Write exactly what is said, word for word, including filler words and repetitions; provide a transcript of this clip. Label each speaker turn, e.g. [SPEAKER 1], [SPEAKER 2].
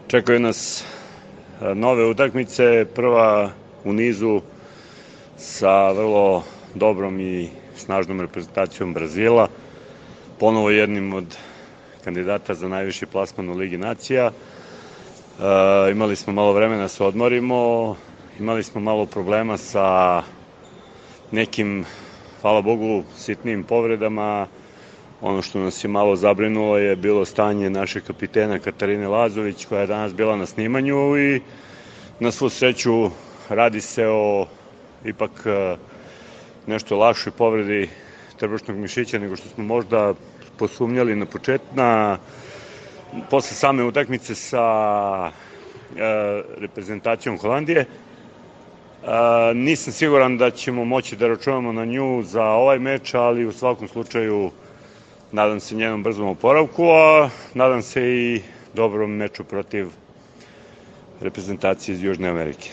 [SPEAKER 1] Čekaju nas nove utakmice, prva u nizu sa vrlo dobrom i snažnom reprezentacijom Brazila, ponovo jednim od kandidata za najviši plasman u Ligi nacija. E, imali smo malo vremena da se odmorimo, imali smo malo problema sa nekim, hvala Bogu, sitnim povredama. Ono što nas je malo zabrinulo je bilo stanje našeg kapitena Katarine Lazović, koja je danas bila na snimanju i na svu sreću radi se o ipak nešto lakšoj povredi trbušnog mišića nego što smo možda posumnjali na početku. Na, posle same utakmice sa e, reprezentacijom Holandije. E, nisam siguran da ćemo moći da računamo na nju za ovaj meč, ali u svakom slučaju nadam se njenom brzom oporavku, a nadam se i dobrom meču protiv reprezentacije iz Južne Amerike.